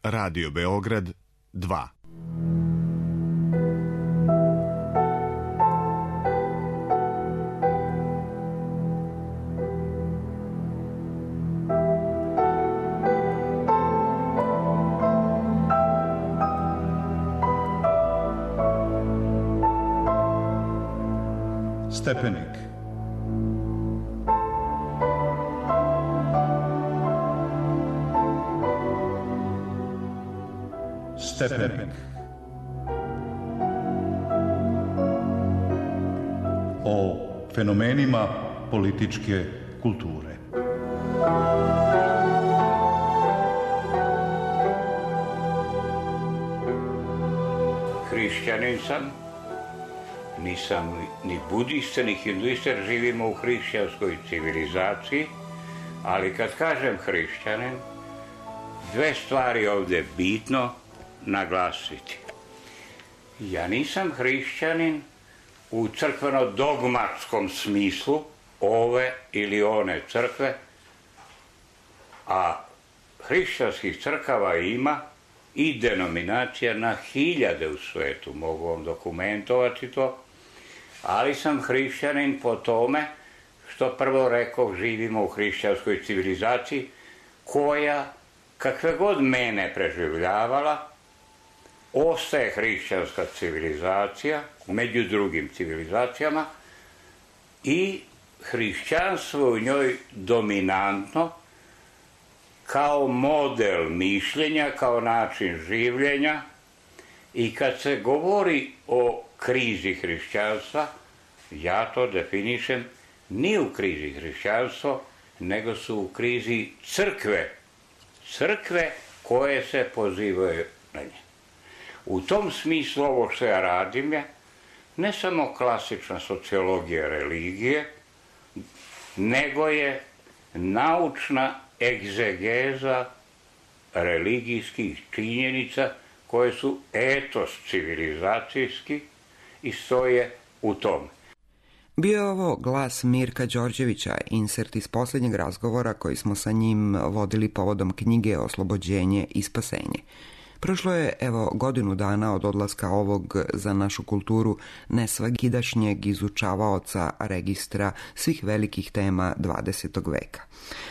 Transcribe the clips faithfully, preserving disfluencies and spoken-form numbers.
Radio Beograd dva. Stepenik. Stepenik. O fenomenima političke kulture. Hrišćanin sam, nisam ni budista, ni hinduista, jer živimo u hrišćanskoj civilizaciji, ali kad kažem hrišćanin, dve stvari ovdje bitno naglasiti. Ja nisam hrišćanin u crkveno-dogmatskom smislu ove ili one crkve, a hrišćanskih crkava ima i denominacija na hiljade u svetu, mogu vam dokumentovati to, ali sam hrišćanin po tome što prvo rekao živimo u hrišćanskoj civilizaciji koja, kakve god mene preživljavala, ostaje hrišćanska civilizacija među drugim civilizacijama i hrišćanstvo u njoj dominantno kao model mišljenja, kao način življenja. I kad se govori o krizi hrišćanstva, ja to definišem ni u krizi hrišćanstva, nego su u krizi crkve. Crkve koje se pozivaju na nje. U tom smislu ovo što ja radim je ne samo klasična sociologija religije, nego je naučna egzegeza religijskih činjenica koje su etos civilizacijski i stoje u tom. Bio je ovo glas Mirka Đorđevića, insert iz posljednjeg razgovora koji smo sa njim vodili povodom knjige Oslobođenje i spasenje. Prošlo je, evo, godinu dana od odlaska ovog za našu kulturu nesvakidašnjeg izučavaoca registra svih velikih tema dvadesetog veka.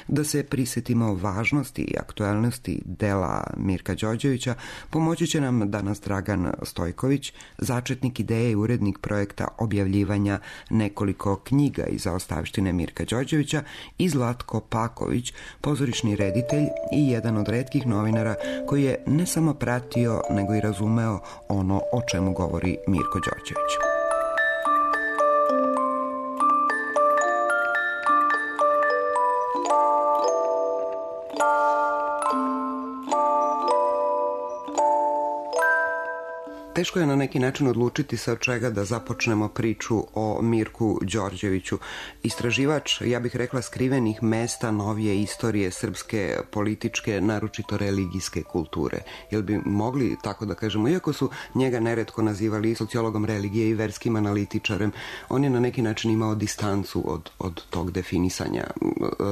Da se prisjetimo važnosti i aktualnosti dela Mirka Đorđevića, pomoći će nam danas Dragan Stojković, začetnik ideje i urednik projekta objavljivanja nekoliko knjiga iz zaostavštine Mirka Đorđevića, i Zlatko Paković, pozorišni reditelj i jedan od retkih novinara koji je ne samo pratio, nego i razumeo ono o čemu govori Mirko Đorđević. Teško je na neki način odlučiti sa od čega da započnemo priču o Mirku Đorđeviću. Istraživač, ja bih rekla, skrivenih mesta novije istorije srpske političke, naročito religijske kulture. Jel bi mogli tako da kažemo, iako su njega neretko nazivali sociologom religije i verskim analitičarem, on je na neki način imao distancu od, od tog definisanja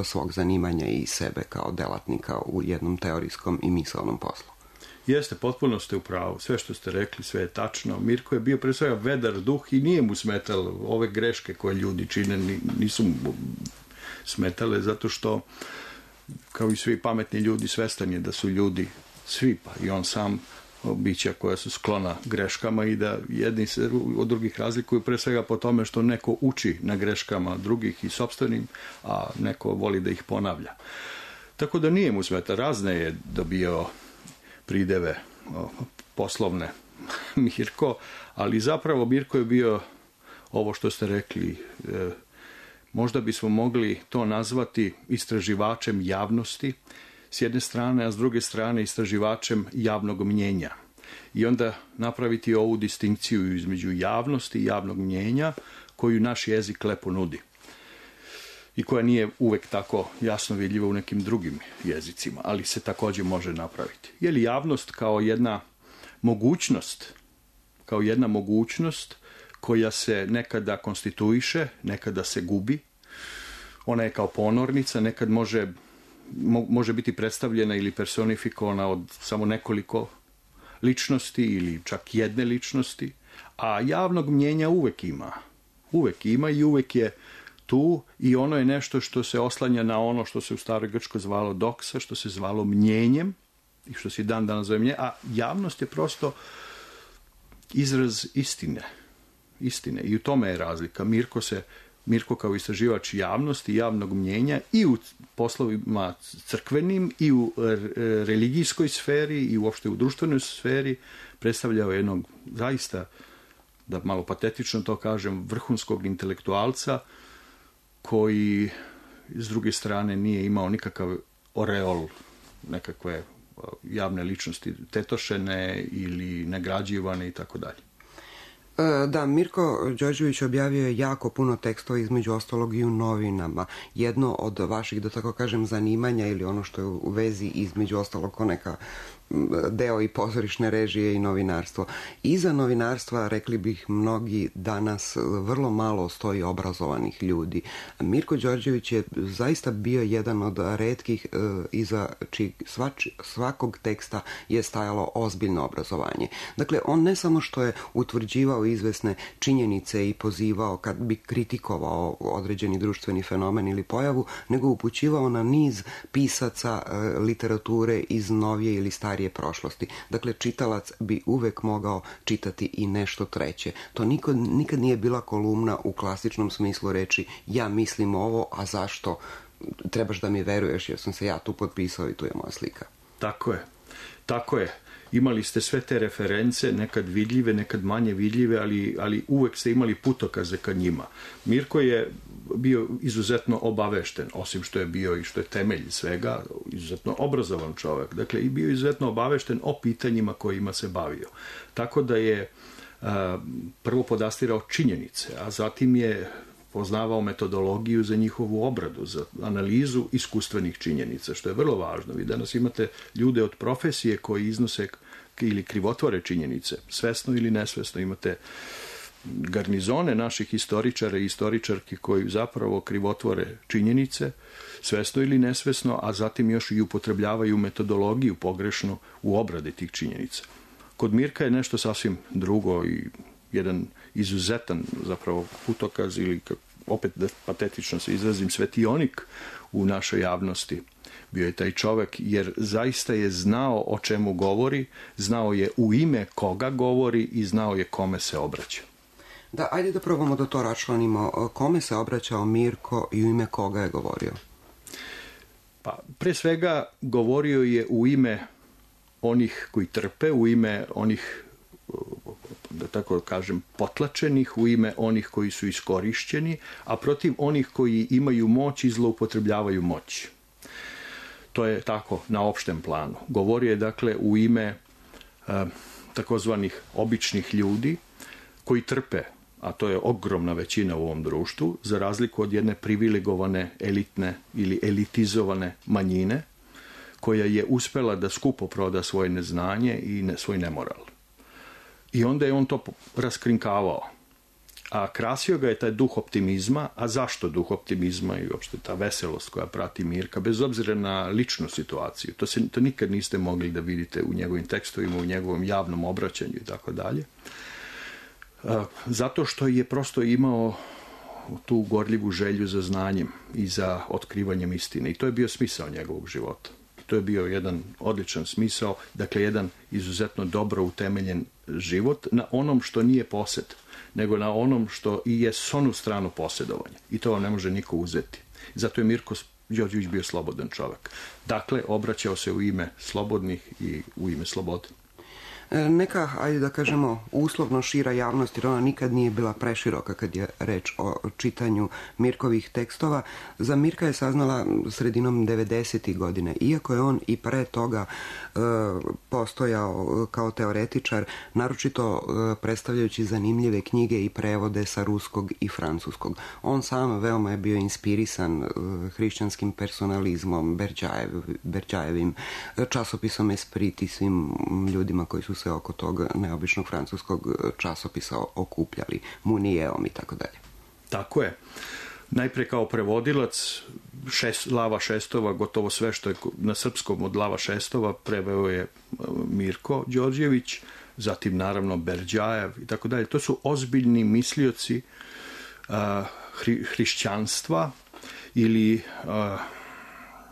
svog zanimanja i sebe kao delatnika u jednom teorijskom i misaonom poslu. Jeste, potpuno ste u pravu. Sve što ste rekli, sve je tačno. Mirko je bio pre svega vedar duh i nije mu smetalo ove greške koje ljudi čine, nisu mu smetale, zato što, kao i svi pametni ljudi, svestan je da su ljudi svi, pa i on sam, bića koja su sklona greškama i da jedni se od drugih razlikuju pre svega po tome što neko uči na greškama drugih i sopstvenim, a neko voli da ih ponavlja. Tako da nije mu smeta. Razne je dobio prideve poslovne Mirko, ali zapravo Mirko je bio ovo što ste rekli, e, možda bismo mogli to nazvati istraživačem javnosti s jedne strane, a s druge strane istraživačem javnog mnjenja. I onda napraviti ovu distinkciju između javnosti i javnog mnjenja koju naš jezik lepo nudi i koja nije uvek tako jasno vidljiva u nekim drugim jezicima, ali se također može napraviti. Je li javnost kao jedna mogućnost, kao jedna mogućnost koja se nekada konstituiše, nekada se gubi, ona je kao ponornica, nekad može može biti predstavljena ili personifikovana od samo nekoliko ličnosti ili čak jedne ličnosti, a javnog mnjenja uvek ima. Uvek ima i uvek je tu i ono je nešto što se oslanja na ono što se u staroj Grčkoj zvalo doksa, što se zvalo mnjenjem i što se dan danas zove mnjenje, a javnost je prosto izraz istine. Istine. I u tome je razlika. Mirko se Mirko kao istraživač javnosti i javnog mnjenja i u poslovima crkvenim i u religijskoj sferi i uopšte u društvenoj sferi predstavljao jednog zaista, da malo patetično to kažem, vrhunskog intelektualca koji s druge strane nije imao nikakav oreol nekakve javne ličnosti tetošene ili nagrađivane i tako dalje. Da, Mirko Đorđević objavio je jako puno tekstova, između ostalog i u novinama. Jedno od vaših, da tako kažem, zanimanja ili ono što je u vezi između ostalog ko neka deo i pozorišne režije i novinarstvo. Iza novinarstva, rekli bih mnogi danas, vrlo malo stoji obrazovanih ljudi. Mirko Đorđević je zaista bio jedan od retkih e, iza čijeg svač, svakog teksta je stajalo ozbiljno obrazovanje. Dakle, on ne samo što je utvrđivao izvesne činjenice i pozivao kad bi kritikovao određeni društveni fenomen ili pojavu, nego upućivao na niz pisaca e, literature iz novije ili starije prošlosti. Dakle, čitalac bi uvek mogao čitati i nešto treće. To nikad, nikad nije bila kolumna u klasičnom smislu reči ja mislim ovo, a zašto? Trebaš da mi veruješ jer sam se ja tu potpisao i tu je moja slika. Tako je. Tako je. Imali ste sve te reference, nekad vidljive, nekad manje vidljive, ali, ali uvek ste imali putokaze ka njima. Mirko je bio izuzetno obavešten, osim što je bio i što je temelj svega, izuzetno obrazovan čovjek. Dakle, i bio izuzetno obavešten o pitanjima kojima se bavio. Tako da je a, prvo podastirao činjenice, a zatim je poznavao metodologiju za njihovu obradu, za analizu iskustvenih činjenica, što je vrlo važno. Vi danas imate ljude od profesije koji iznose ili krivotvore činjenice, svesno ili nesvesno. Imate garnizone naših historičara i istoričarki koji zapravo krivotvore činjenice, svesno ili nesvesno, a zatim još i upotrebljavaju metodologiju pogrešnu u obradi tih činjenica. Kod Mirka je nešto sasvim drugo i jedan izuzetan zapravo putokaz ili opet da patetično se izrazim svetionik u našoj javnosti. Bio je taj čovek jer zaista je znao o čemu govori, znao je u ime koga govori i znao je kome se obraća. Da, ajde da probamo da to račlanimo. Kome se obraćao Mirko i u ime koga je govorio? Pa, pre svega govorio je u ime onih koji trpe, u ime onih, da tako kažem, potlačenih, u ime onih koji su iskorišćeni, a protiv onih koji imaju moć i zloupotrebljavaju moć. To je tako na opštem planu. Govorio je dakle u ime e, takozvanih običnih ljudi koji trpe, a to je ogromna većina u ovom društvu, za razliku od jedne privilegovane, elitne ili elitizovane manjine, koja je uspela da skupo proda svoje neznanje i ne, svoj nemoral. I onda je on to raskrinkavao. A krasio ga je taj duh optimizma. A zašto duh optimizma i uopšte ta veselost koja prati Mirka, bez obzira na ličnu situaciju? To, se, to nikad niste mogli da vidite u njegovim tekstovima, u njegovom javnom obraćanju i tako dalje. Zato što je prosto imao tu gorljivu želju za znanjem i za otkrivanjem istine. I to je bio smisao njegovog života. To je bio jedan odličan smisao, dakle jedan izuzetno dobro utemeljen život na onom što nije posed, nego na onom što i je s onu stranu posjedovanja. I to vam ne može niko uzeti. Zato je Mirko Đorđević bio slobodan čovjek. Dakle, obraćao se u ime slobodnih i u ime slobode. Neka, ajde da kažemo, uslovno šira javnost, jer ona nikad nije bila preširoka kad je reč o čitanju Mirkovih tekstova. Za Mirka je saznala sredinom devedesetih godine, iako je on i pre toga e, postojao kao teoretičar, naročito e, predstavljajući zanimljive knjige i prevode sa ruskog i francuskog. On sam veoma je bio inspirisan e, hrišćanskim personalizmom, Berdjajev, Berdjajevim časopisom Esprit i svim ljudima koji su se oko tog neobičnog francuskog časopisa okupljali, Munijeom i tako dalje. Tako je. najpre kao prevodilac šest, Lava Šestova, gotovo sve što je na srpskom od Lava Šestova preveo je Mirko Đorđević, zatim naravno Berđajev i tako dalje. To su ozbiljni mislioci uh, hri, hrišćanstva ili uh,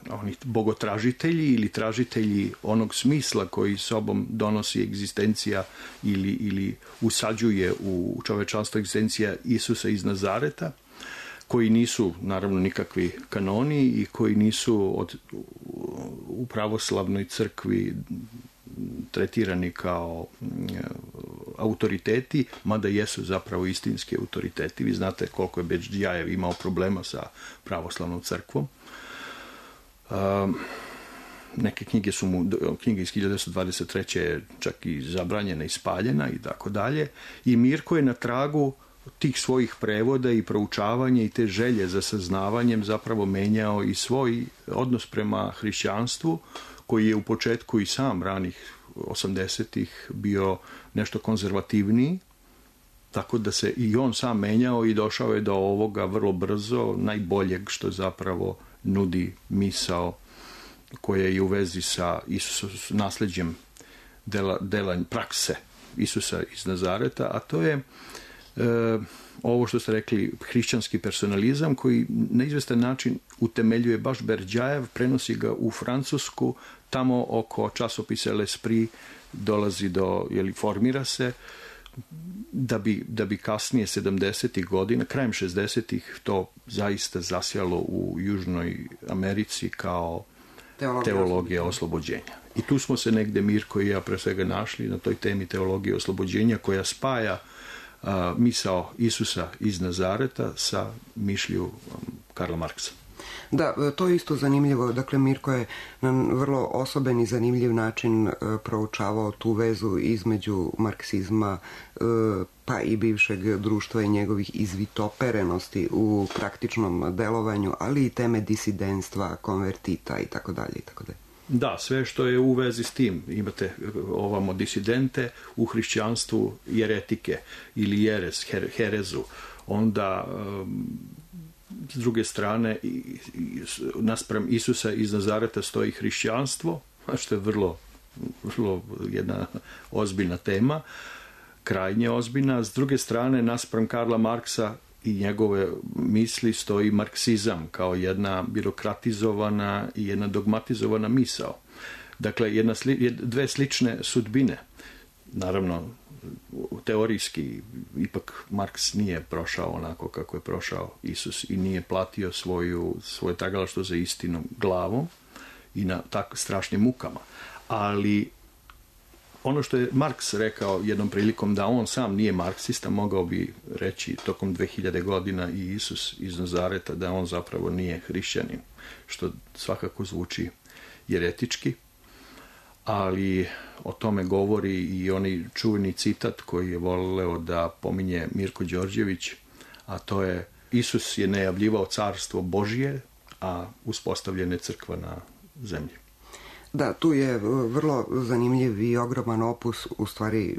oni bogotražitelji ili tražitelji onog smisla koji sobom donosi egzistencija ili, ili usađuje u čovečanstvo egzistencija Isusa iz Nazareta, koji nisu naravno nikakvi kanoni i koji nisu od, u pravoslavnoj crkvi tretirani kao autoriteti, mada jesu zapravo istinski autoriteti. Vi znate koliko je Berđajev imao problema sa pravoslavnom crkvom. Um, neke knjige su mu, knjige iz hiljadu devetsto dvadeset treće čak i zabranjena i spaljena i tako dalje. I Mirko je na tragu tih svojih prevoda i proučavanja i te želje za saznavanjem zapravo menjao i svoj odnos prema hrišćanstvu, koji je u početku i sam ranih osamdesetih bio nešto konzervativniji, tako da se i on sam menjao i došao je do ovoga vrlo brzo, najboljeg što zapravo nudi misao koja je u vezi sa Isusom, nasleđem dela, dela prakse Isusa iz Nazareta, a to je e, ovo što ste rekli, hrišćanski personalizam koji na izvestan način utemeljuje baš Berđajev, prenosi ga u Francusku, tamo oko časopisa L'Esprit dolazi do, jeli, formira se, da bi, da bi kasnije sedamdesetih godina, krajem šezdesetih to zaista zasjalo u Južnoj Americi kao teologija, teologija oslobođenja. I tu smo se negde Mirko i ja pre svega našli na toj temi teologije oslobođenja koja spaja a, misao Isusa iz Nazareta sa mišlju Karla Marksa. Da, to je isto zanimljivo. Dakle, Mirko je na vrlo osoben i zanimljiv način proučavao tu vezu između marksizma pa i bivšeg društva i njegovih izvitoperenosti u praktičnom delovanju, ali i teme disidentstva, konvertita i tako dalje i tako dalje. Da, sve što je u vezi s tim. Imate ovamo disidente u hrišćanstvu, jeretike ili jeres, her, herezu. Onda s druge strane, naspram Isusa iz Nazareta stoji hrišćanstvo, što je vrlo, vrlo jedna ozbiljna tema, krajnje ozbiljna. S druge strane, naspram Karla Marksa i njegove misli stoji marksizam kao jedna birokratizovana i jedna dogmatizovana misao. Dakle, jedna, dve slične sudbine. Naravno, teorijski ipak Marks nije prošao onako kako je prošao Isus i nije platio svoju, svoje tragalaštvo za istinom glavom i na tako strašnim mukama. Ali ono što je Marks rekao jednom prilikom, da on sam nije marksista, mogao bi reći tokom dve hiljade godina i Isus iz Nazareta da on zapravo nije hrišćanin, što svakako zvuči jeretički. Ali o tome govori i onaj čuveni citat koji je voleo da pominje Mirko Đorđević, a to je: Isus je najavljivao carstvo Božje, a uspostavljena je crkva na zemlji. Da, tu je vrlo zanimljiv i ogroman opus, u stvari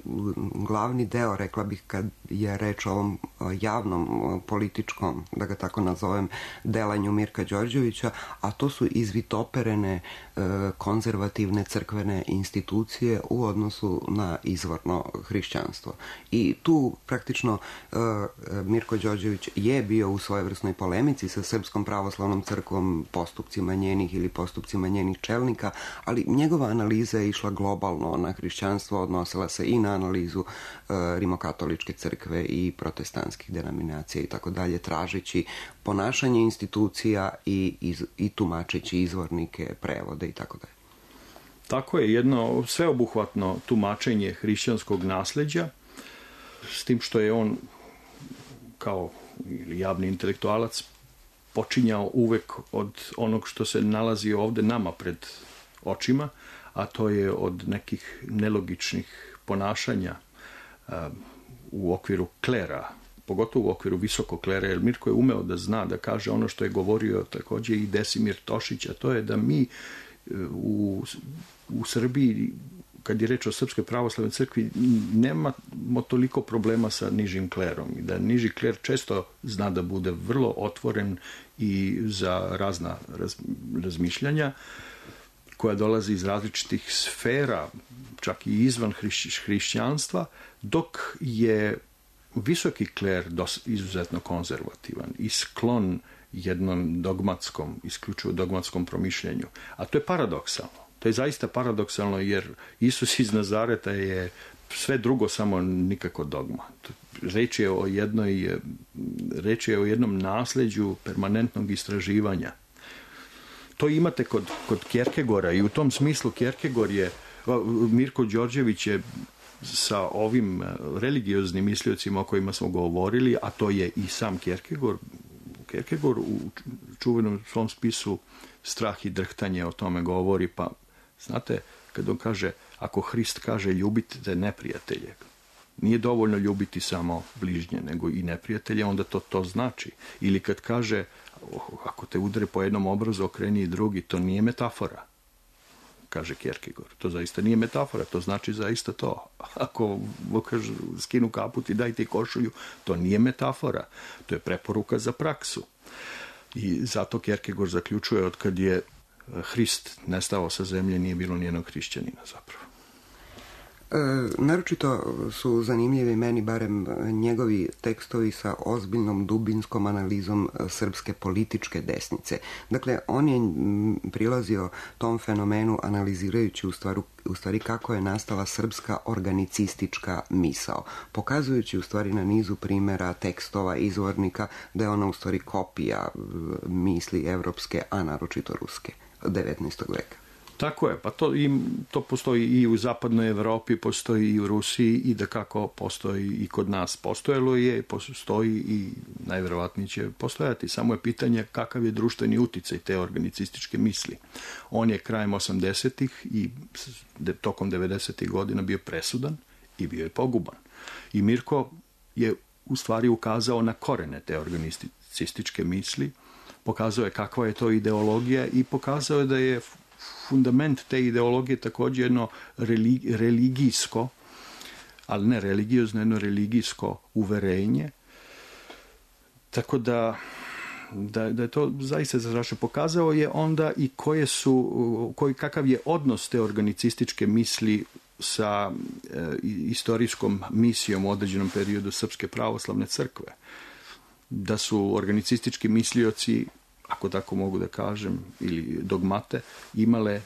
glavni deo, rekla bih, kad je reč o ovom javnom političkom, da ga tako nazovem, delanju Mirka Đorđevića, a to su izvitoperene konzervativne crkvene institucije u odnosu na izvorno hrišćanstvo. I tu praktično Mirko Đorđević je bio u svojevrsnoj polemici sa Srpskom pravoslavnom crkvom, postupcima njenih ili postupcima njenih čelnika, ali njegova analiza je išla globalno na hrišćanstvo, odnosila se i na analizu uh, rimokatoličke crkve i protestantskih denominacija i tako dalje, tražeći ponašanje institucija i, iz, i tumačeći izvornike, prevode i tako dalje. Tako je, jedno sveobuhvatno tumačenje hrišćanskog nasleđa, s tim što je on kao javni intelektualac počinjao uvek od onog što se nalazi ovde nama pred očima, a to je od nekih nelogičnih ponašanja uh, u okviru klera, pogotovo u okviru visokog klera, jer Mirko je umeo da zna, da kaže ono što je govorio takođe i Desimir Tošić, a to je da mi uh, u, u Srbiji kad je reč o Srpskoj pravoslavnoj crkvi, nemamo toliko problema sa nižim klerom. I da niži kler često zna da bude vrlo otvoren i za razna raz, razmišljanja koja dolazi iz različitih sfera, čak i izvan hriš, hrišćanstva, dok je visoki kler dos, izuzetno konzervativan i sklon jednom dogmatskom, isključivo dogmatskom promišljenju. A to je paradoksalno. To je zaista paradoksalno, jer Isus iz Nazareta je sve drugo, samo nikako dogma. Reč je o jednoj, reč je o jednom nasleđu permanentnog istraživanja. To imate kod, kod Kierkegaarda i u tom smislu Kierkegaard je, Mirko Đorđević je sa ovim religioznim misliocima o kojima smo govorili, a to je i sam Kierkegaard, Kierkegaard u čuvenom svom spisu Strah i drhtanje o tome govori, pa znate, kad on kaže, ako Hrist kaže ljubite neprijatelje, nije dovoljno ljubiti samo bližnje, nego i neprijatelje, onda to to znači. Ili kad kaže, ako te udare po jednom obrazu, okreni i drugi, to nije metafora, kaže Kierkegaard. To zaista nije metafora, to znači zaista to. Ako kaže, skinu kaput i daj ti košulju, to nije metafora, to je preporuka za praksu. I zato Kierkegaard zaključuje, od kad je Hrist nestao sa zemlje, nije bilo nijednog hrišćanina zapravo. E, naročito su zanimljivi meni barem njegovi tekstovi sa ozbiljnom dubinskom analizom srpske političke desnice. Dakle, on je prilazio tom fenomenu analizirajući u stvari, u stvari kako je nastala srpska organicistička misao, pokazujući u stvari na nizu primjera tekstova, izvornika, da je ona u stvari kopija misli evropske, a naročito ruske, devetnaestog veka. Tako je, pa to, im, to postoji i u zapadnoj Evropi, postoji i u Rusiji i da kako postoji i kod nas. Postojalo je, postoji i najverovatnije će postojati. Samo je pitanje kakav je društveni uticaj te organicističke misli. On je krajem osamdesetih i tokom devedesetih godina bio presudan i bio je poguban. I Mirko je u stvari ukazao na korene te organicističke misli, pokazao je kakva je to ideologija i pokazao je da je fundament te ideologije također jedno religijsko, ali ne religiozno, jedno religijsko uverenje. Tako da, da, da je to zaista zastrašno. Pokazao je onda i koje su, koji, kakav je odnos te organicističke misli sa e, istorijskom misijom u određenom periodu Srpske pravoslavne crkve. Da su organicistički mislioci, ako tako mogu da kažem, ili dogmate, imale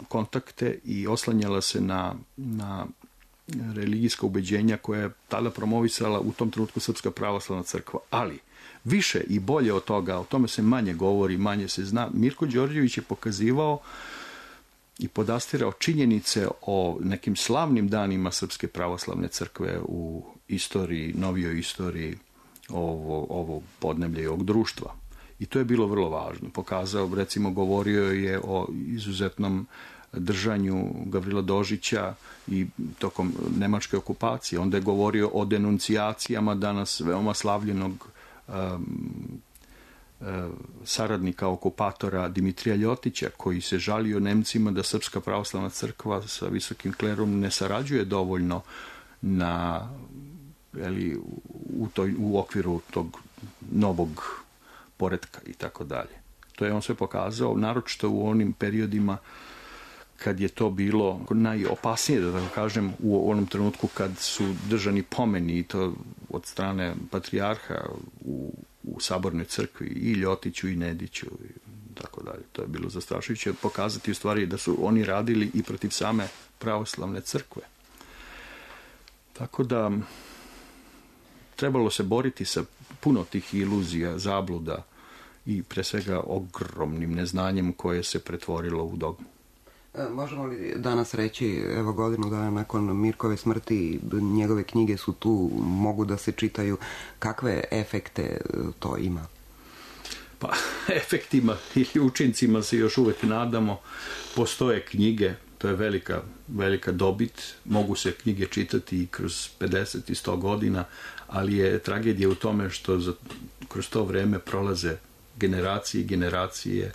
kontakte i oslanjala se na, na religijska ubeđenja koja je tada promovisala u tom trenutku Srpska pravoslavna crkva. Ali više i bolje od toga, o tome se manje govori, manje se zna. Mirko Đorđević je pokazivao i podastirao činjenice o nekim slavnim danima Srpske pravoslavne crkve u istoriji, novijoj istoriji ovo, ovo podneblja i ovog društva. I to je bilo vrlo važno. Pokazao, recimo, govorio je o izuzetnom držanju Gavrila Dožića i tokom nemačke okupacije. Onda je govorio o denuncijacijama danas veoma slavljenog um, uh, saradnika okupatora Dimitrija Ljotića, koji se žalio Nemcima da Srpska pravoslavna crkva sa visokim klerom ne sarađuje dovoljno na, eli, u, toj, u okviru tog novog poretka i tako dalje. To je on sve pokazao, naročito u onim periodima kad je to bilo najopasnije, da tako kažem, u onom trenutku kad su držani pomeni, i to od strane patrijarha u, u sabornoj crkvi, i Ljotiću i Nediću i tako dalje. To je bilo zastrašujuće pokazati u stvari da su oni radili i protiv same pravoslavne crkve. Tako da trebalo se boriti sa puno tih iluzija, zabluda i pre svega ogromnim neznanjem koje se pretvorilo u dogmu. E, možemo li danas reći, evo godinu dana nakon Mirkove smrti, njegove knjige su tu, mogu da se čitaju, kakve efekte to ima? Pa, efektima ili učincima se još uvek nadamo. Postoje knjige, to je velika, velika dobit, mogu se knjige čitati i kroz pedeset i sto godina, ali je tragedija u tome što za, kroz to vreme prolaze generacije i generacije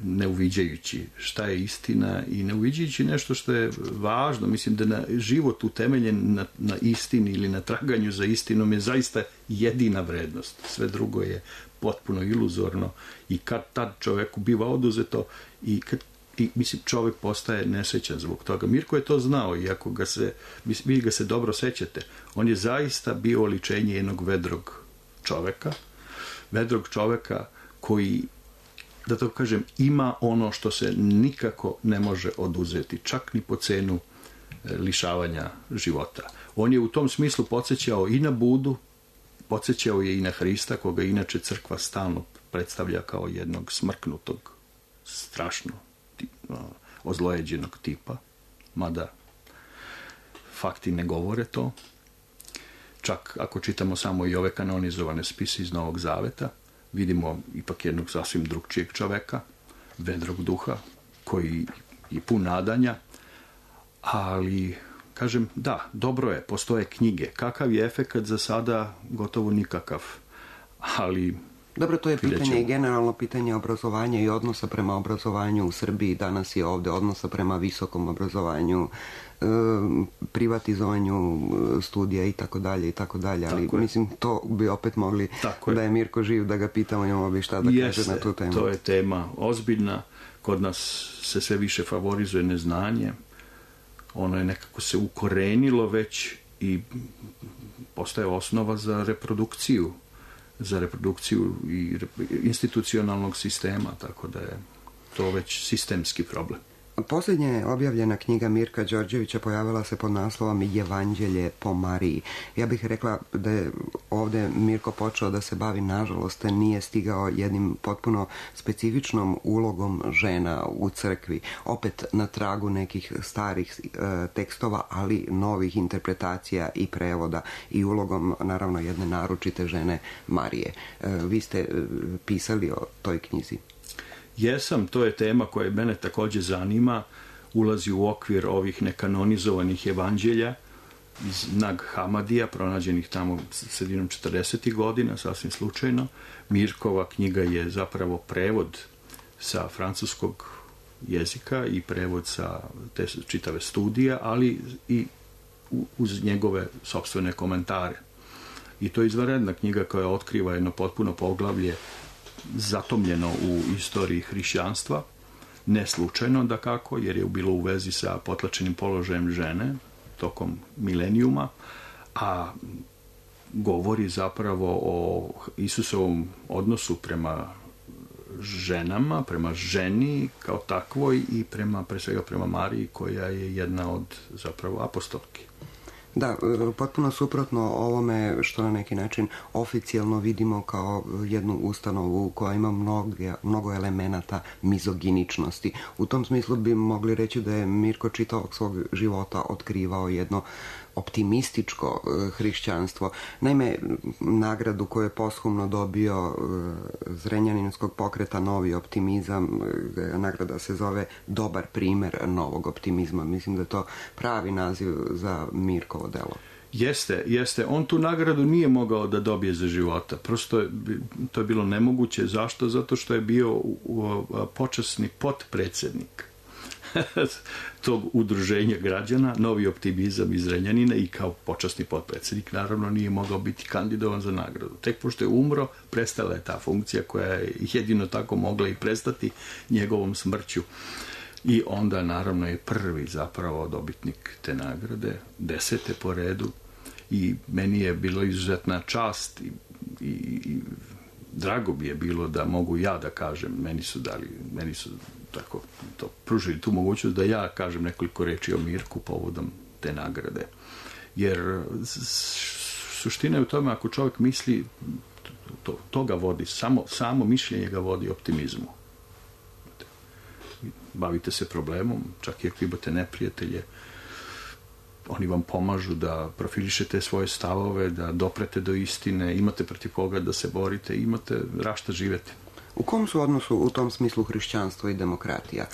ne uviđajući šta je istina i ne uviđajući nešto što je važno. Mislim da na život utemeljen na, na istini ili na traganju za istinom je zaista jedina vrednost. Sve drugo je potpuno iluzorno i kad tad čoveku biva oduzeto i kad i mislim čovjek postaje nesrećan zbog toga. Mirko je to znao, iako ga se, vi ga se dobro sećate, on je zaista bio oličenje jednog vedrog čoveka, vedrog čoveka koji, da to kažem, ima ono što se nikako ne može oduzeti, čak ni po cenu lišavanja života. On je u tom smislu podsjećao i na Budu, podsjećao je i na Hrista, koga inače crkva stalno predstavlja kao jednog smrknutog, strašno ozlojeđenog tipa, mada fakti ne govore to. Čak ako čitamo samo i ove kanonizovane spise iz Novog Zaveta, vidimo ipak jednog sasvim drugčijeg čoveka, vedrog duha, koji je pun nadanja, ali, kažem, da, dobro je, postoje knjige. Kakav je efekat za sada? Gotovo nikakav, ali... Dobro, to je pitanje i generalno pitanje obrazovanja i odnosa prema obrazovanju u Srbiji. Danas je ovde odnosa prema visokom obrazovanju, privatizovanju studija i tako dalje i tako dalje, ali mislim to bi opet mogli tako da je Mirko živ da ga pitamo, imamo bi šta da Jeste, kaže na tu temu. To je tema ozbiljna, kod nas se sve više favorizuje neznanje, ono je nekako se ukorenilo već i postaje osnova za reprodukciju za reprodukciju i institucionalnog sistema, tako da je to već sistemski problem. Posljednje objavljena knjiga Mirka Đorđevića pojavila se pod naslovom Evanđelje po Mariji. Ja bih rekla da je ovdje Mirko počeo da se bavi, nažalost, nije stigao jednim potpuno specifičnom ulogom žena u crkvi, opet na tragu nekih starih e, tekstova, ali novih interpretacija i prevoda i ulogom, naravno, jedne naročite žene Marije. E, vi ste e, pisali o toj knjizi. Jesam, to je tema koja mene također zanima, ulazi u okvir ovih nekanonizovanih evanđelja iz Nag Hamadija, pronađenih tamo sredinom četrdesetih godina, sasvim slučajno. Mirkova knjiga je zapravo prevod sa francuskog jezika i prevod sa te čitave studije, ali i uz njegove sopstvene komentare. I to je izvanredna knjiga koja otkriva jedno potpuno poglavlje zatomljeno u istoriji hrišćanstva, ne slučajno dakako, jer je bilo u vezi sa potlačenim položajem žene tokom milenijuma, a govori zapravo o Isusovom odnosu prema ženama, prema ženi kao takvoj i prema, pre svega prema Mariji, koja je jedna od zapravo apostolki. Da, potpuno suprotno ovome što na neki način oficijalno vidimo kao jednu ustanovu koja ima mnogo, mnogo elemenata mizoginičnosti. U tom smislu bi mogli reći da je Mirko čitavog svog života otkrivao jedno optimističko hrišćanstvo. Naime, nagradu koju je posthumno dobio Zrenjaninskog pokreta Novi optimizam, nagrada se zove Dobar primer novog optimizma. Mislim da je to pravi naziv za Mirkovo delo. Jeste, jeste. On tu nagradu nije mogao da dobije za života. Prosto je, to je bilo nemoguće. Zašto? Zato što je bio počasni potpredsednik tog udruženja građana, Novi optimizam iz Zrenjanina, i kao počasni potpredsjednik naravno nije mogao biti kandidovan za nagradu. Tek pošto je umro, prestala je ta funkcija koja je jedino tako mogla i prestati njegovom smrću. I onda naravno je prvi zapravo dobitnik te nagrade, desete po redu, i meni je bilo izuzetna čast i, i, i drago bi je bilo da mogu ja da kažem, meni su dali, meni su tako to pružili tu mogućnost da ja kažem nekoliko reči o Mirku povodom te nagrade. Jer suština je u tome, ako čovjek misli, to, to ga vodi, samo, samo mišljenje ga vodi optimizmu. Bavite se problemom, čak i ako imate neprijatelje, oni vam pomažu da profilišete svoje stavove, da doprete do istine, imate protiv koga da se borite, imate rašta živete. U kom su odnosu u tom smislu hrišćanstvo i demokratija?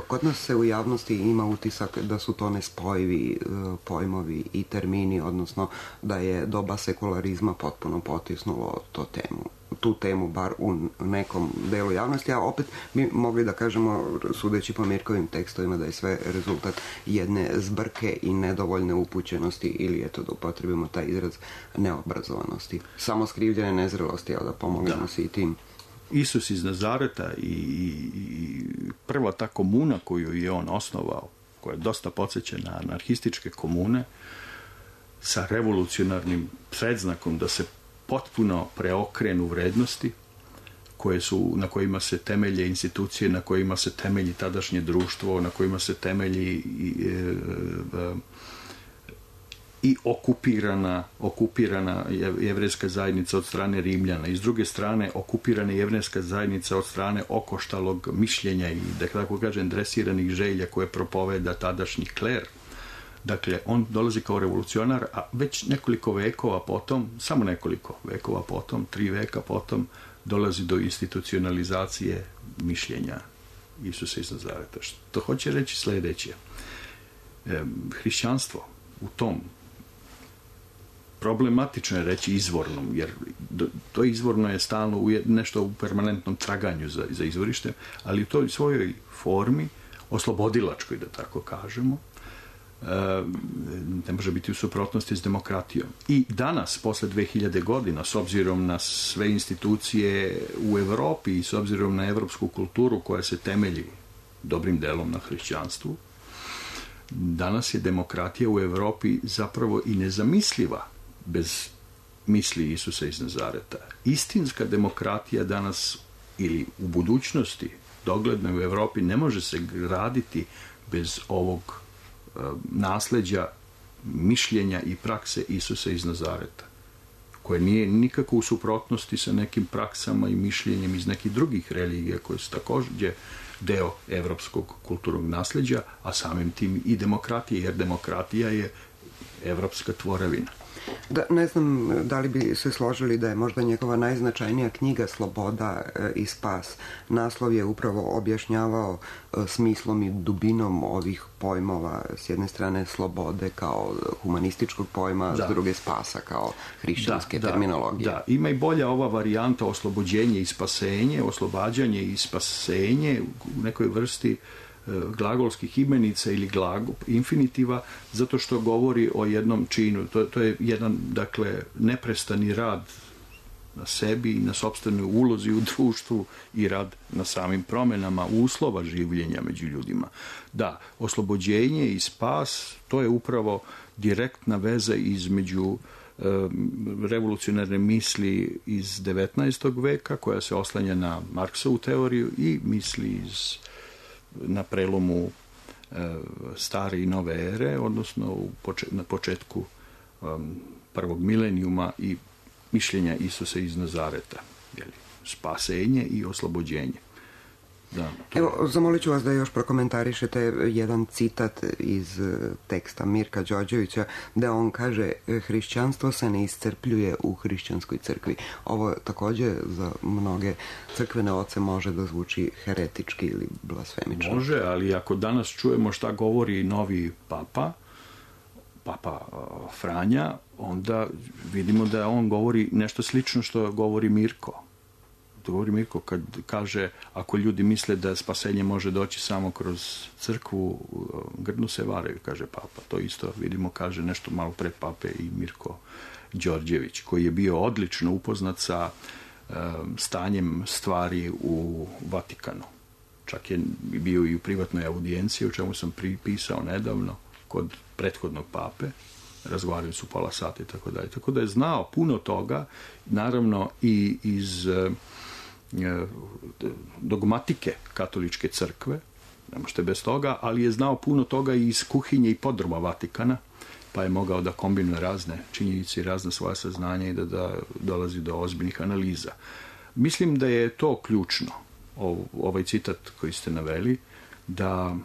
Kod nas se u javnosti ima utisak da su to nespojivi pojmovi i termini, odnosno da je doba sekularizma potpuno potisnulo to temu. tu temu, bar u nekom delu javnosti, a opet bi mogli da kažemo, sudeći po Mirkovim tekstovima, da je sve rezultat jedne zbrke i nedovoljne upućenosti, ili eto da upotrebimo taj izraz, neobrazovanosti. Samo skrivljene nezrelosti, ali da pomognemo se i tim. Isus iz Nazareta i, i prva ta komuna koju je on osnovao, koja je dosta podsjeća na anarhističke komune, sa revolucionarnim predznakom da se potpuno preokrenu vrednosti koje su, na kojima se temelje institucije, na kojima se temelji tadašnje društvo, na kojima se temelji i, e, e, i okupirana, okupirana jevrejska zajednica od strane Rimljana i s druge strane okupirana jevrejska zajednica od strane okoštalog mišljenja i, da tako kažem, dresiranih želja koje propoveda tadašnji kler. Dakle, on dolazi kao revolucionar, a već nekoliko vekova potom, samo nekoliko vekova potom, tri veka potom, dolazi do institucionalizacije mišljenja Isusa iz Nazareta. Što hoće reći sledeće. E, hrišćanstvo u tom, problematično je reći izvornom, jer to izvorno je stalno u nešto u permanentnom traganju za, za izvorište, ali u toj svojoj formi, oslobodilačkoj, da tako kažemo, ne može biti u suprotnosti s demokratijom. I danas, posle dve hiljade godina, s obzirom na sve institucije u Evropi i s obzirom na evropsku kulturu koja se temelji dobrim delom na hrišćanstvu, danas je demokratija u Evropi zapravo i nezamisliva bez misli Isusa iz Nazareta. Istinska demokratija danas ili u budućnosti, dogledno u Evropi, ne može se graditi bez ovog nasleđa mišljenja i prakse Isusa iz Nazareta, koje nije nikako u suprotnosti sa nekim praksama i mišljenjem iz nekih drugih religija koje su također deo evropskog kulturnog nasleđa, a samim tim i demokratije, jer demokratija je evropska tvorevina. Da, ne znam da li bi se složili da je možda njegova najznačajnija knjiga Sloboda i spas. Naslov je upravo objašnjavao smislom i dubinom ovih pojmova, s jedne strane slobode kao humanističkog pojma, da. S druge spasa kao hrišćanske da, terminologije. Da, da, ima i bolja ova varijanta oslobođenje i spasenje, oslobađanje i spasenje u nekoj vrsti glagolskih imenica ili glagol, infinitiva, zato što govori o jednom činu. To, to je jedan, dakle, neprestani rad na sebi i na sopstvenoj ulozi u društvu i rad na samim promenama uslova življenja među ljudima. Da, oslobođenje i spas, to je upravo direktna veza između e, revolucionarne misli iz devetnaestog veka, koja se oslanja na Marksovu teoriju, i misli iz na prelomu e, stare i nove ere, odnosno u poče, na početku um, prvog milenijuma i mišljenja Isusa iz Nazareta. Jeli, spasenje i oslobođenje. Da, Evo, zamolit ću vas da još prokomentarišete jedan citat iz teksta Mirka Đorđevića, da on kaže: hrišćanstvo se ne iscrpljuje u hrišćanskoj crkvi. Ovo također za mnoge crkvene oce može da zvuči heretički ili blasfemično. Može, ali ako danas čujemo šta govori novi papa, papa Franja, onda vidimo da on govori nešto slično što govori Mirko. To govori Mirko kad kaže, ako ljudi misle da spasenje može doći samo kroz crkvu, grdno se varaju, kaže papa. To isto vidimo, kaže nešto malo pre pape i Mirko Đorđević, koji je bio odlično upoznat sa um, stanjem stvari u Vatikanu. Čak je bio i u privatnoj audijenciji, o čemu sam pripisao nedavno kod prethodnog pape. Razgovarali su pola sata i tako dalje. Tako da je znao puno toga, naravno i iz dogmatike katoličke crkve, ne možete bez toga, ali je znao puno toga i iz kuhinje i podruma Vatikana, pa je mogao da kombinuje razne činjenice i razne svoje saznanja i da, da dolazi do ozbiljnih analiza. Mislim da je to ključno, ovaj citat koji ste naveli, da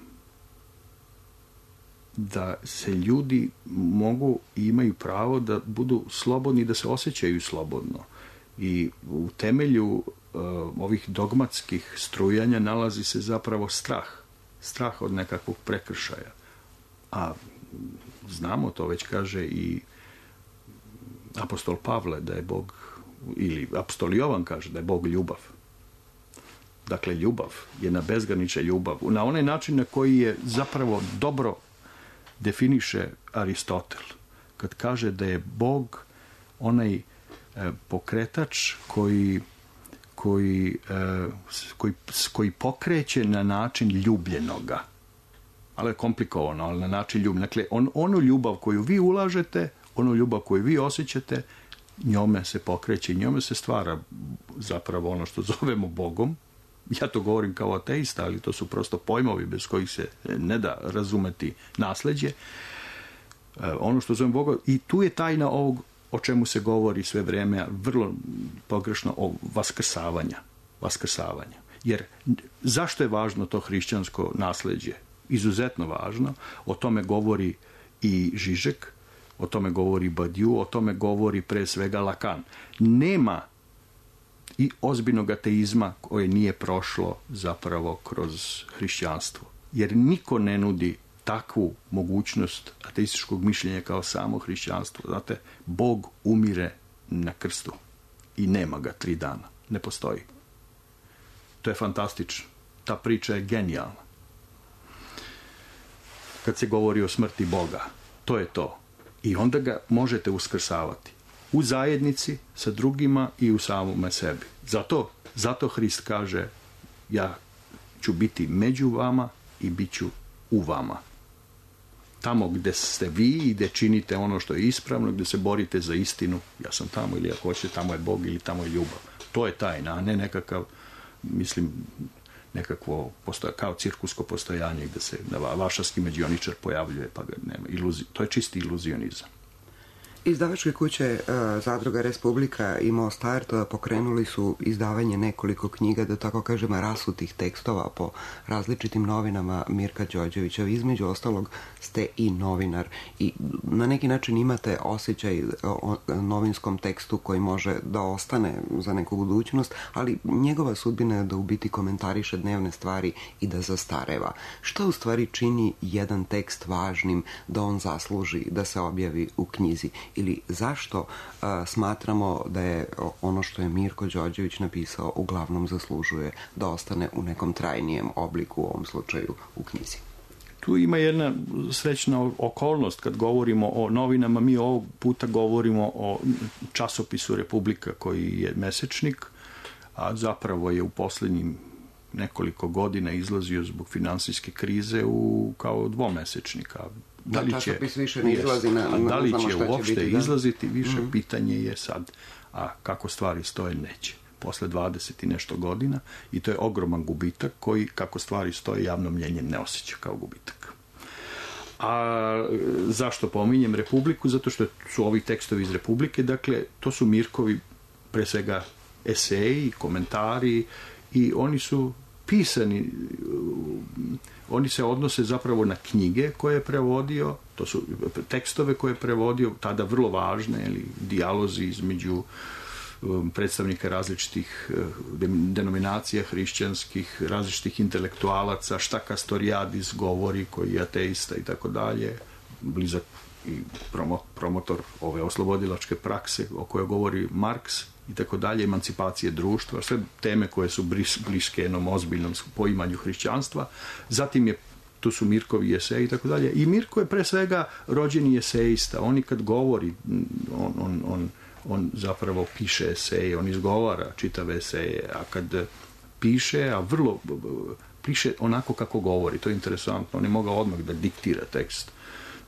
da se ljudi mogu i imaju pravo da budu slobodni, da se osjećaju slobodno. I u temelju ovih dogmatskih strujanja nalazi se zapravo strah. Strah od nekakvog prekršaja. A znamo, to već kaže i apostol Pavle, da je Bog, ili apostol Jovan kaže da je Bog ljubav. Dakle, ljubav je na bezgranična ljubav. Na onaj način na koji je zapravo dobro definiše Aristotel. Kad kaže da je Bog onaj e, pokretač koji, koji, e, koji, koji pokreće na način ljubljenoga. Ali je komplikovano, ali na način ljubljenoga. Dakle, on, onu ljubav koju vi ulažete, onu ljubav koju vi osjećate, njome se pokreće i njome se stvara zapravo ono što zovemo Bogom. Ja to govorim kao ateista, ali to su prosto pojmovi bez kojih se ne da razumeti nasleđe. Ono što zovem Boga, i tu je tajna ovog o čemu se govori sve vreme, vrlo pogrešno, o vaskrsavanja. Vaskrsavanja. Jer zašto je važno to hrišćansko nasleđe? Izuzetno važno. O tome govori i Žižek, o tome govori Badiou, o tome govori pre svega Lacan. Nema i ozbiljnog ateizma koje nije prošlo zapravo kroz hrišćanstvo. Jer niko ne nudi takvu mogućnost ateističkog mišljenja kao samo hrišćanstvo. Znate, Bog umire na krstu i nema ga tri dana. Ne postoji. To je fantastično. Ta priča je genijalna. Kad se govori o smrti Boga, to je to. I onda ga možete uskrsavati. U zajednici, sa drugima i u samome sebi. Zato, zato Hrist kaže, ja ću biti među vama i bit ću u vama. Tamo gde ste vi i gde činite ono što je ispravno, gde se borite za istinu, ja sam tamo, ili ako hoćete, tamo je Bog ili tamo je ljubav. To je tajna, a ne nekakav, mislim, nekakvo postoja, kao cirkusko postojanje gde se vašarski mađioničar pojavljuje, pa ga nema. Iluzi, to je čisti iluzionizam. Izdavačke kuće Zadruga Republika i Most Art pokrenuli su izdavanje nekoliko knjiga, da tako kažem, rasutih tekstova po različitim novinama Mirka Đorđevića. Između ostalog ste i novinar i na neki način imate osjećaj o novinskom tekstu koji može da ostane za neku budućnost, ali njegova sudbina je da u biti komentariše dnevne stvari i da zastareva. Što u stvari čini jedan tekst važnim da on zasluži da se objavi u knjizi? Ili zašto a, smatramo da je ono što je Mirko Đorđević napisao uglavnom zaslužuje da ostane u nekom trajnijem obliku, u ovom slučaju u knjizi? Tu ima jedna srećna okolnost kad govorimo o novinama. Mi ovog puta govorimo o časopisu Republika koji je mesečnik, a zapravo je u posljednjim nekoliko godina izlazio zbog finansijske krize u, kao dvomesečnika. Da li će, više ne izlazi na, na, da li će, će uopšte biti, izlaziti, više mm-hmm. pitanje je sad, a kako stvari stoje, neće. Posle dvadeset i nešto godina, i to je ogroman gubitak koji, kako stvari stoje, javno mnjenje ne osjeća kao gubitak. A zašto pominjem Republiku? Zato što su ovi tekstovi iz Republike, dakle, to su Mirkovi pre svega eseji, komentari, i oni su pisani, oni se odnose zapravo na knjige koje je prevodio, to su tekstove koje je prevodio, tada vrlo važne, ili dijalozi između um, predstavnika različitih um, denominacija hrišćanskih, različitih intelektualaca, šta Kastoriadis govori, koji je ateista i tako dalje, blizak i promo, promotor ove oslobodilačke prakse o kojoj govori Marks, i tako dalje, emancipacije društva, sve teme koje su bliske jednom ozbiljnom poimanju hrišćanstva. Zatim je, tu su Mirkovi eseji i tako dalje. I Mirko je pre svega rođeni esejista. On i kad govori, on, on, on, on zapravo piše eseje, on izgovara čitave eseje, a kad piše, a vrlo piše onako kako govori, to je interesantno. On je mogao odmah da diktira tekst.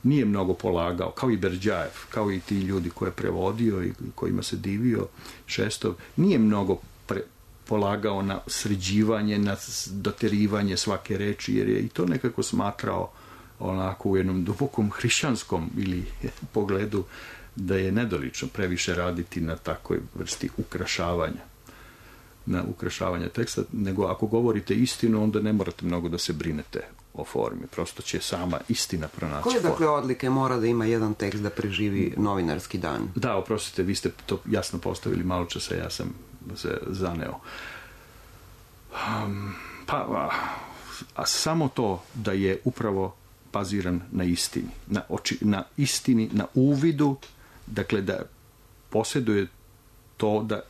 Nije mnogo polagao, kao i Berdjajev, kao i ti ljudi koje je prevodio i kojima se divio Šestov, nije mnogo pre, polagao na sređivanje, na doterivanje svake reči, jer je i to nekako smatrao onako u jednom dubokom hrišćanskom ili pogledu da je nedolično previše raditi na takvoj vrsti ukrašavanja, na ukrašavanje teksta, nego ako govorite istinu, onda ne morate mnogo da se brinete o formi, prosto će sama istina pronaći formu. Koje dakle odlike mora da ima jedan tekst da preživi novinarski dan? Da, oprostite, vi ste to jasno postavili malo časa, ja sam se zaneo. Um, pa, a, a samo to da je upravo baziran na istini, na, oči, na istini, na uvidu, dakle da posjeduje to da,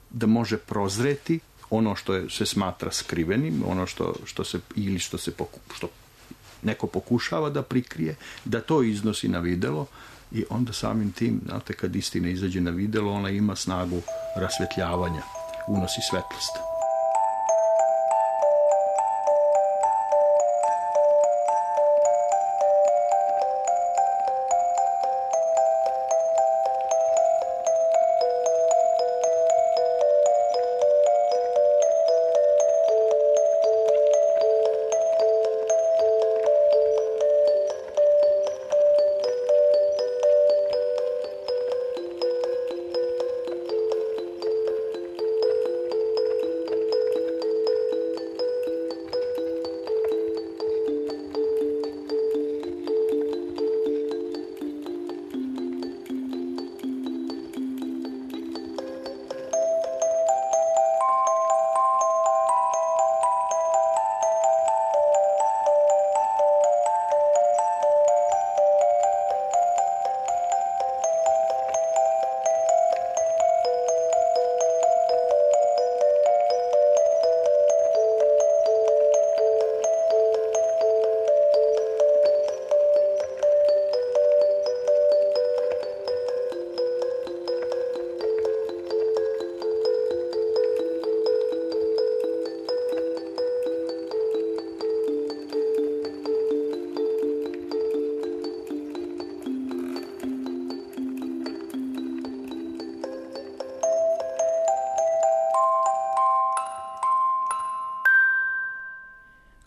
da može prozreti ono što je, se smatra skrivenim, ono što, što se, ili što se poku, što neko pokušava da prikrije, da to iznosi na videlo i onda samim tim, znate, kad istina izađe na videlo, ona ima snagu rasvetljavanja, unosi svetlost.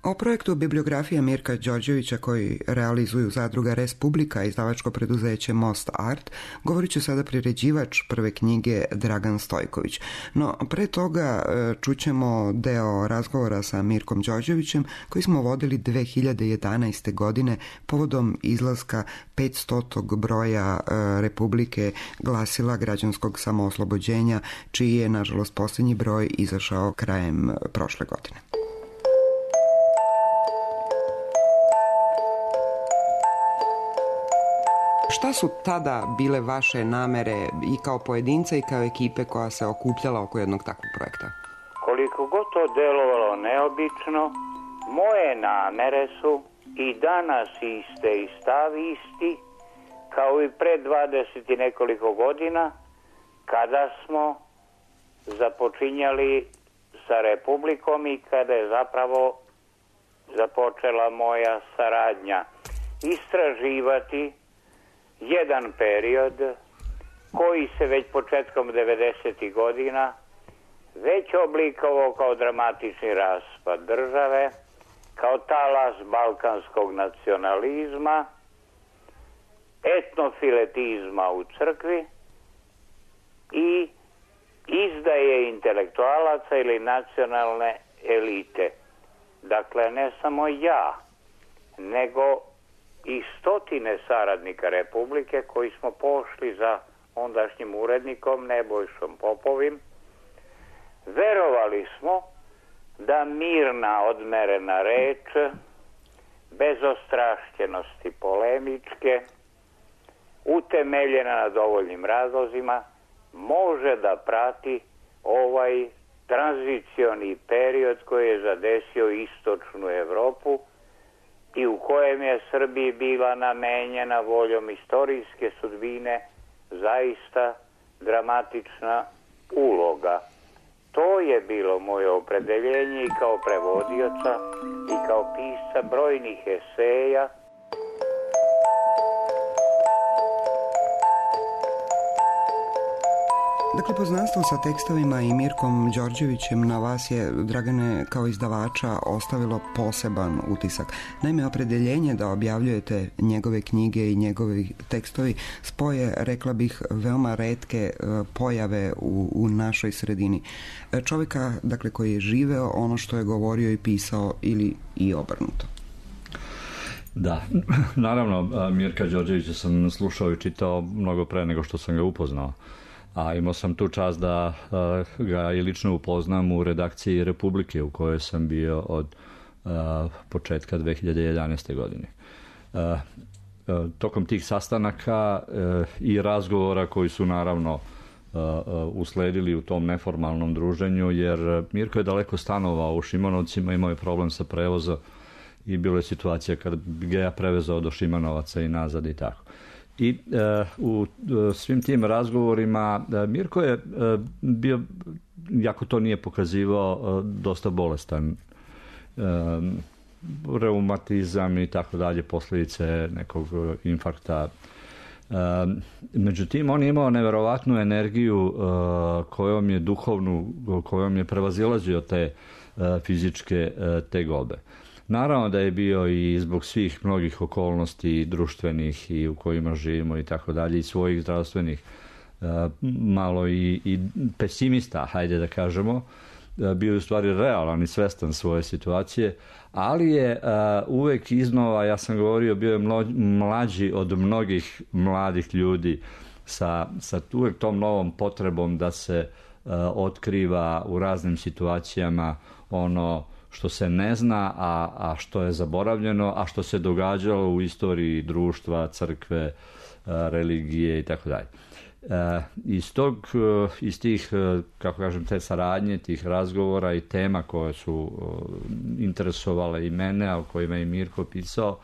O projektu Bibliografija Mirka Đorđevića koji realizuju zadruga Respublika i izdavačko preduzeće Most Art govorit će sada priređivač prve knjige Dragan Stojković. No, pre toga čućemo deo razgovora sa Mirkom Đorđevićem koji smo vodili dve hiljade jedanaeste. godine povodom izlaska petstotog broja Republike glasila građanskog samooslobođenja, čiji je, nažalost, posljednji broj izašao krajem prošle godine. Šta su tada bile vaše namere i kao pojedinca i kao ekipe koja se okupljala oko jednog takvog projekta? Koliko god to delovalo neobično, moje namere su i danas iste i stav isti, kao i pre dvadeset i nekoliko godina, kada smo započinjali sa Republikom i kada je zapravo započela moja saradnja. Istraživati jedan period koji se već početkom devedesetih godina već oblikovao kao dramatični raspad države, kao talas balkanskog nacionalizma, etnofiletizma u crkvi i izdaje intelektualaca ili nacionalne elite. Dakle, ne samo ja, nego i stotine saradnika Republike koji smo pošli za ondašnjim urednikom Nebojšom Popovim. Verovali smo da mirna, odmerena reč, bez ostrašćenosti polemičke, utemeljena na dovoljnim razlozima, može da prati ovaj tranzicioni period koji je zadesio istočnu Evropu i u kojem je Srbiji bila namenjena voljom istorijske sudbine zaista dramatična uloga. To je bilo moje opredeljenje i kao prevodioca i kao pisca brojnih eseja. Dakle, poznanstvo sa tekstovima i Mirkom Đorđevićem na vas je, Dragane, kao izdavača ostavilo poseban utisak. Naime, opredeljenje da objavljujete njegove knjige i njegovi tekstovi spoje, rekla bih, veoma retke pojave u, u našoj sredini. Čovjeka, dakle, koji je živeo ono što je govorio i pisao ili i obrnuto. Da, naravno, Mirka Đorđevića sam slušao i čitao mnogo pre nego što sam ga upoznao. a imao sam tu čast da ga i lično upoznam u redakciji Republike u kojoj sam bio od početka dve hiljade jedanaeste. godine. Tokom tih sastanaka i razgovora koji su naravno usledili u tom neformalnom druženju, jer Mirko je daleko stanovao u Šimanovcima, imao je problem sa prevozom i bilo je situacija kada bi ga ja prevezao do Šimanovaca i nazad i tako. I e, u e, svim tim razgovorima e, Mirko je e, bio, jako to nije pokazivao, e, dosta bolestan. E, reumatizam i tako dalje, posljedice nekog infarkta. E, međutim, on je imao neverovatnu energiju e, kojom je duhovnu, kojom je prevazilazio te e, fizičke e, tegobe. Naravno da je bio i zbog svih mnogih okolnosti društvenih i u kojima živimo i tako dalje i svojih zdravstvenih malo i, i pesimista, hajde da kažemo, bio je u stvari realan i svestan svoje situacije, ali je uvek iznova, ja sam govorio, bio je mlađi od mnogih mladih ljudi sa, sa uvek tom novom potrebom da se otkriva u raznim situacijama ono što se ne zna, a, a što je zaboravljeno, a što se događalo u istoriji društva, crkve, religije i tako dalje. Iz tog, iz tih, kako kažem, te saradnje, tih razgovora i tema koje su interesovale i mene, a o kojima je Mirko pisao,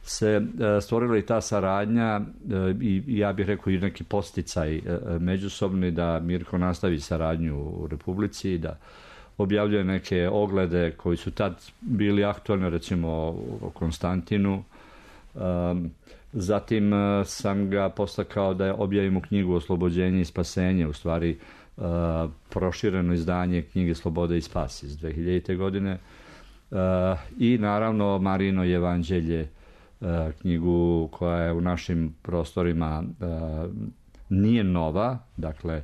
se stvorila i ta saradnja i ja bih rekao i neki posticaj međusobni da Mirko nastavi saradnju u Republici, da objavljuje neke oglede koji su tad bili aktualni, recimo o Konstantinu. Zatim sam ga postakao da objavimo knjigu Oslobođenje i spasenje, u stvari prošireno izdanje knjige Slobode i spas iz dve hiljadite. godine. I naravno Marijino evanđelje, knjigu koja je u našim prostorima nije nova, dakle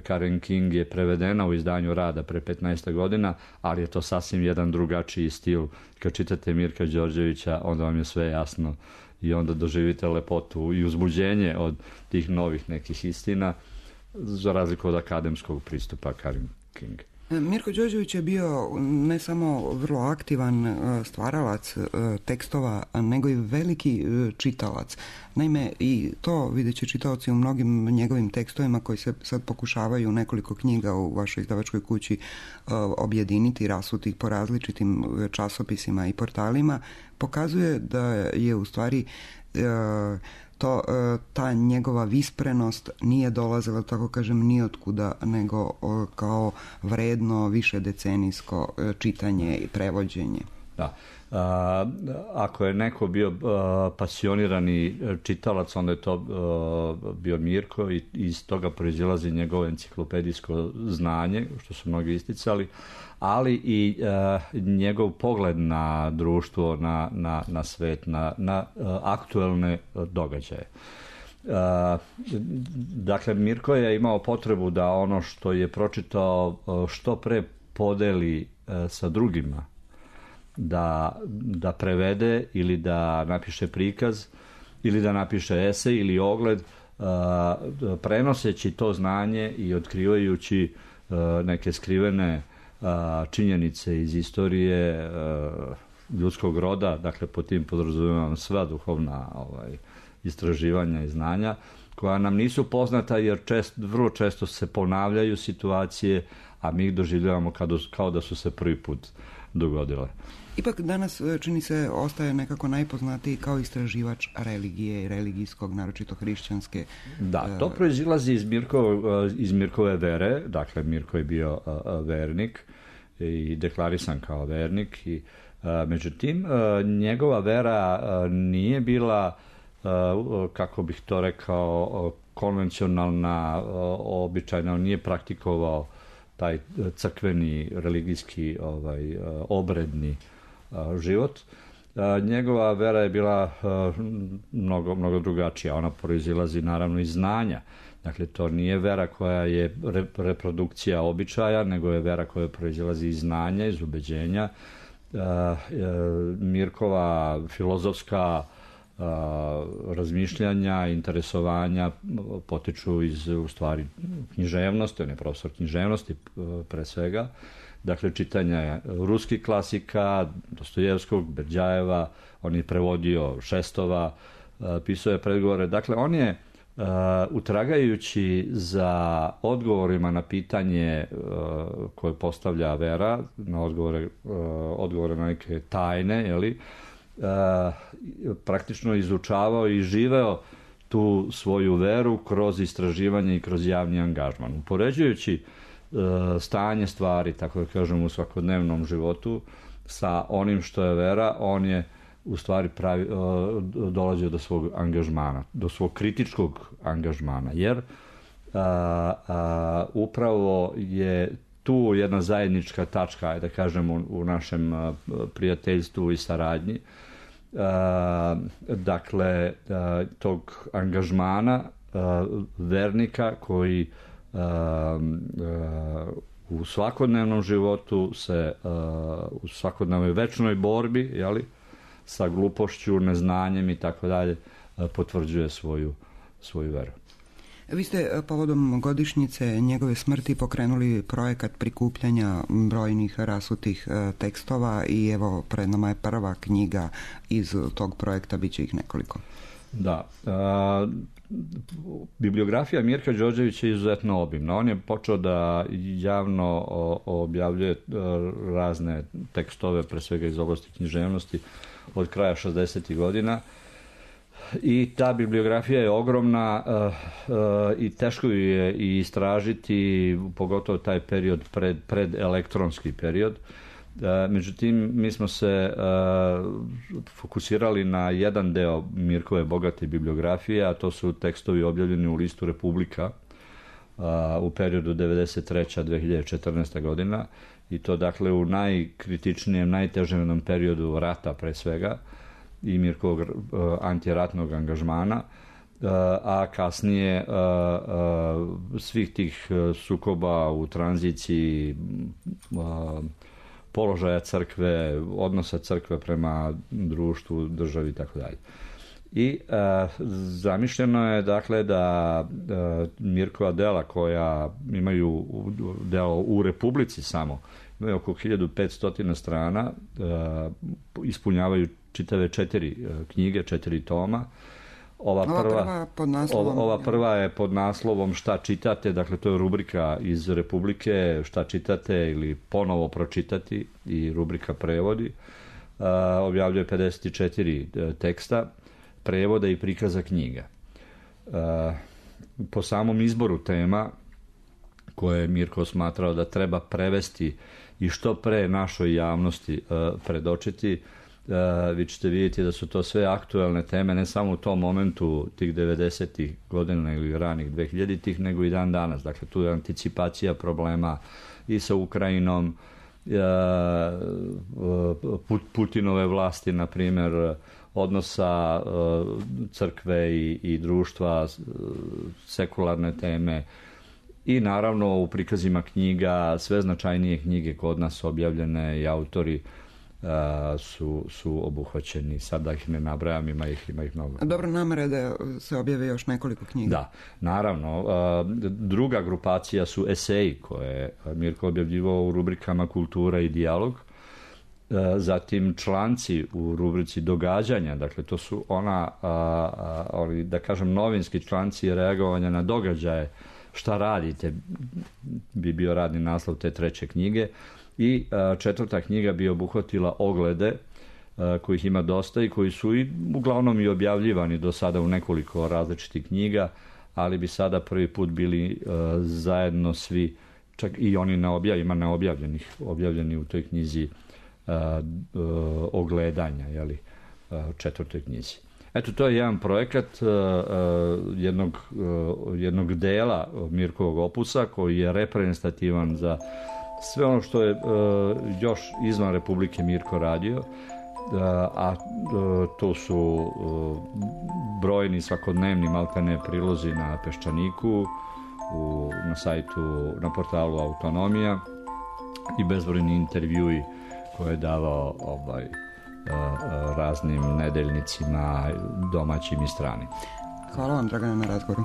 Karen King je prevedena u izdanju Rada pre petnaest godina, ali je to sasvim jedan drugačiji stil. Kad čitate Mirka Đorđevića, onda vam je sve jasno i onda doživite lepotu i uzbuđenje od tih novih nekih istina, za razliku od akademskog pristupa Karen King. Mirko Đorđević je bio ne samo vrlo aktivan stvaralac tekstova, nego i veliki čitalac. Naime, i to vidjet će čitaoci u mnogim njegovim tekstovima koji se sad pokušavaju nekoliko knjiga u vašoj izdavačkoj kući objediniti, rasuti po različitim časopisima i portalima, pokazuje da je u stvari to, ta njegova visprenost nije dolazila, tako kažem, ni otkuda, nego kao vredno višedecenijsko čitanje i prevođenje. Da. A, ako je neko bio a, pasionirani čitalac, onda je to a, bio Mirko i iz toga proizilazi njegovo enciklopedijsko znanje, što su mnogi isticali, ali i a, njegov pogled na društvo, na, na, na svet, na, na a, aktuelne događaje. A, dakle, Mirko je imao potrebu da ono što je pročitao a, što pre podeli a, sa drugima, da, da prevede ili da napiše prikaz ili da napiše esej ili ogled, uh, prenoseći to znanje i otkrivajući uh, neke skrivene uh, činjenice iz istorije uh, ljudskog roda, dakle po tim podrazumijevam sva duhovna ovaj, istraživanja i znanja koja nam nisu poznata jer čest, vrlo često se ponavljaju situacije, a mi ih doživljavamo kao, kao da su se prvi put dogodile. Ipak danas, čini se, ostaje nekako najpoznatiji kao istraživač religije i religijskog, naročito hrišćanske. Da, to proizilazi iz, Mirko, iz Mirkove vere, dakle Mirko je bio vernik i deklarisan kao vernik, i međutim njegova vera nije bila, kako bih to rekao, konvencionalna, običajna, on nije praktikovao taj crkveni, religijski, ovaj, obredni život. Njegova vera je bila mnogo, mnogo drugačija. Ona proizilazi naravno iz znanja. Dakle, to nije vera koja je reprodukcija običaja, nego je vera koja proizilazi iz znanja, iz ubeđenja. Mirkova filozofska a, razmišljanja, interesovanja potiču iz, u stvari, književnosti, on je profesor književnosti pre svega, dakle čitanja ruskih klasika, Dostojevskog, Berdjajeva, on je prevodio Šestova, pisao je predgovore, dakle on je Uh, utragajući za odgovorima na pitanje uh, koje postavlja vera, na odgovore, uh, odgovore na neke tajne, jeli, uh, praktično izučavao i živeo tu svoju veru kroz istraživanje i kroz javni angažman. Upoređujući uh, stanje stvari, tako da kažem, u svakodnevnom životu sa onim što je vera, on je u stvari pravi, dolazio do svog angažmana, do svog kritičkog angažmana, jer a, a, upravo je tu jedna zajednička tačka, da kažemo, u našem a, prijateljstvu i saradnji, a, dakle, a, tog angažmana a, vernika koji a, a, u svakodnevnom životu se, a, u svakodnevnoj večnoj borbi, jeli, sa glupošću, neznanjem i tako dalje, potvrđuje svoju, svoju veru. Vi ste povodom godišnjice njegove smrti pokrenuli projekat prikupljanja brojnih rasutih tekstova i evo pred nama je prva knjiga iz tog projekta, bit će ih nekoliko. Da. A, bibliografija Mirka Đorđevića je izuzetno obimna. On je počeo da javno objavljuje razne tekstove, pre svega iz oblasti književnosti, od kraja šezdesetih godina i ta bibliografija je ogromna uh, uh, i teško ju je i istražiti, pogotovo taj period pred, pred elektronski period. Uh, međutim, mi smo se uh, fokusirali na jedan deo Mirkove bogate bibliografije, a to su tekstovi objavljeni u listu Republika uh, u periodu devedeset treća do dve hiljade četrnaesta godina, i to dakle u najkritičnijem, najtežem periodu rata pre svega i Mirkovog uh, antiratnog angažmana, uh, a kasnije uh, uh, svih tih uh, sukoba u tranziciji, uh, položaja crkve, odnosa crkve prema društvu, državi i tako dalje. I uh, zamišljeno je dakle da uh, Mirkova dela koja imaju delo u Republici samo, imaju oko hiljadu petsto strana, uh, ispunjavaju čitave četiri uh, knjige, četiri toma. Ova prva, ova, prva pod naslovom, ova, ova prva je pod naslovom Šta čitate, dakle to je rubrika iz Republike, Šta čitate ili ponovo pročitati, i rubrika prevodi. Uh, objavljuje pedeset četiri uh, teksta, prevoda i prikaza knjiga. Uh, po samom izboru tema koje je Mirko smatrao da treba prevesti i što pre našoj javnosti uh, predočiti, uh, vi ćete vidjeti da su to sve aktuelne teme, ne samo u tom momentu tih devedesetih godina ili ranih dvehiljaditih, nego i dan danas. Dakle, tu je anticipacija problema i sa Ukrajinom, uh, Putinove vlasti, na primjer, odnosa uh, crkve i, i društva, uh, sekularne teme, i naravno u prikazima knjiga, sve značajnije knjige kod nas objavljene i autori uh, su, su obuhvaćeni. Sad da ih ne nabrajam, ima ih, ima ih mnogo. Dobro, namera da se objave još nekoliko knjiga. Da, naravno. Uh, druga grupacija su eseji koje je Mirko objavljivao u rubrikama Kultura i dijalog. Zatim članci u rubrici Događanja, dakle to su ona, a, a, ali, da kažem, novinski članci reagovanja na događaje, šta radite, bi bio radni naslov te treće knjige. I a, četvrta knjiga bi obuhvatila oglede, a, kojih ima dosta i koji su i uglavnom i objavljivani do sada u nekoliko različitih knjiga, ali bi sada prvi put bili a, zajedno svi, čak i oni na objav, ima neobjavljenih, objavljeni u toj knjizi Uh, uh, ogledanja, jeli, uh, četvrtoj knjizi. Eto, to je jedan projekat uh, uh, jednog, uh, jednog dela Mirkovog opusa koji je reprezentativan za sve ono što je uh, još izvan Republike Mirko radio, uh, a uh, to su uh, brojni svakodnevni maltene prilozi na Peščaniku, u, na sajtu, na portalu Autonomija, i bezbrojni intervjui koje je davao ovaj, raznim nedeljnicima, domaćim i stranim. Hvala vam, Dragane, na razgovoru.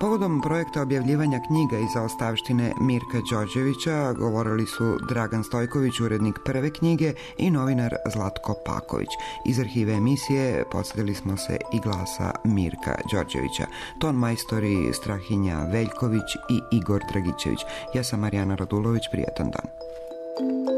Povodom projekta objavljivanja knjiga iz zaostavštine Mirka Đorđevića govorili su Dragan Stojković, urednik prve knjige, i novinar Zlatko Paković. Iz arhive emisije podsjetili smo se i glasa Mirka Đorđevića. Ton majstori Strahinja Veljković i Igor Dragićević. Ja sam Marijana Radulović, prijatan dan.